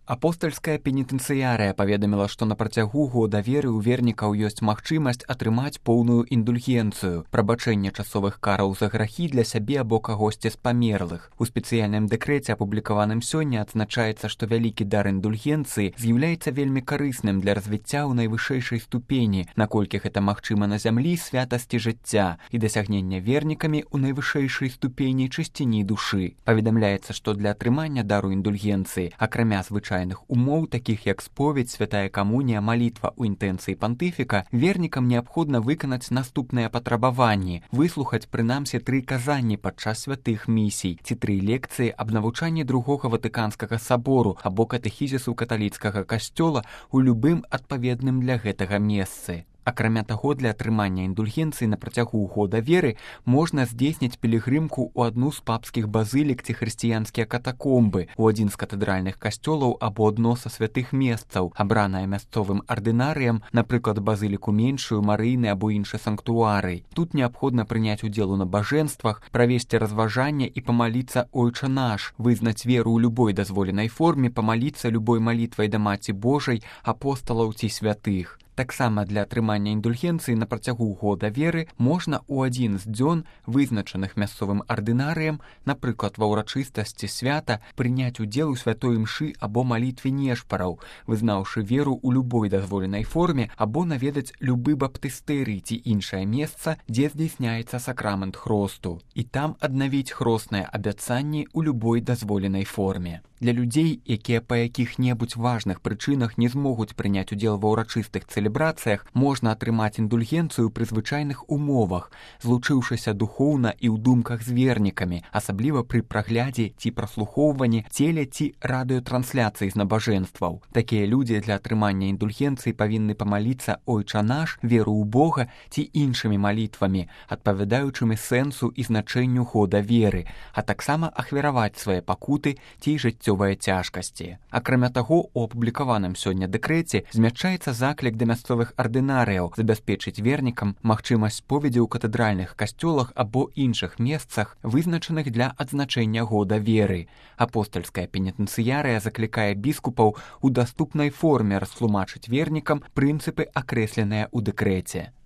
Апостальская пенітэнцыярыя паведаміла, што на працягу года веры ў вернікаў ёсць магчымасць атрымаць поўную індульгенцыю, прабачэнне часовых караў за грахі для сябе або кагосьці з памерлых. У спецыяльным дэкрэце, апублікаваным сёння, адзначаецца, што вялікі дар індульгенцыі з'яўляецца вельмі карысным для развіцця ў найвышэйшай ступені, наколькі гэта магчыма на зямлі, святасці жыцця і дасягнення вернікамі ў найвышэйшай ступені чысціні душы. Паведамляецца, што для атрымання дару індульгенцыі, акрамя звычайных умоў, такіх як споведь, святая камунія, малітва ў інтэнцыі пантыфіка, вернікам неабходна выканаць наступныя патрабаванні: выслухаць прынамсі 3 казанні падчас святых місій ці 3 лекцыі аб навучанні другога Ватыканскага сабору або катэхізісу каталіцкага касцёла ў любым адпаведным для гэтага месцы. Акрамя таго, для атрымання індульгенцыі на працягу года веры можна здзейсніць пілігрымку ў адну з папскіх базылік ці хрысціянскія катакомбы, у адзін з катэдральных касцёлаў або адно са святых месцаў, абранае мясцовым ардынарыям, напрыклад, базыліку меншую, марыйны або іншы санктуарый. Тут неабходна прыняць удзел у набажэнствах, правесці разважанне і памаліцца «Ойча наш», вызнаць веру ў любой дазволенай форме, памаліцца любой малітвай да Маці Божай, апосталаў ці святых. Таксама для атрымання індульгенцыі на працягу года веры можна ў адзін з дзён, вызначаных мясцовым ардынарыем, напрыклад, ва ўрачыстасці свята, прыняць удзел у святой імшы або малітве нешпараў, вызнаўшы веру ў любой дазволенай форме, або наведаць любы баптыстэрый ці іншае месца, дзе здзейсняецца сакрамент хросту, і там аднавіць хросныя абяцанні ў любой дазволенай форме. Для людзей, якія па якіх-небудзь важных прычынах не змогуць прыняць удзел ва ўрачыстых цэлебрацыях, можна атрымаць індульгенцыю пры звычайных умовах, злучыўшыся духоўна і ў думках з вернікамі, асабліва пры праглядзе ці праслухоўванні целе ці радыётрансляцыі з набажэнстваў. Такія людзі для атрымання індульгенцыі павінны памаліцца «Ойча наш», веру ў Бога ці іншымі малітвамі, адпавядаючымі сэнсу і значэнню года веры, а таксама ахвяраваць свае пакуты ці жыццё цяжкасці. Акрамя таго, у апублікаваным сёння дэкрэце змяшчаецца заклік да мясцовых ардынарыяў забяспечыць вернікам магчымасць споведзі ў катэдральных касцёлах або іншых месцах, вызначаных для адзначэння года веры. Апостальская пенітэнцыярыя заклікае біскупаў у даступнай форме растлумачыць вернікам прынцыпы, акрэсленыя ў дэкрэце.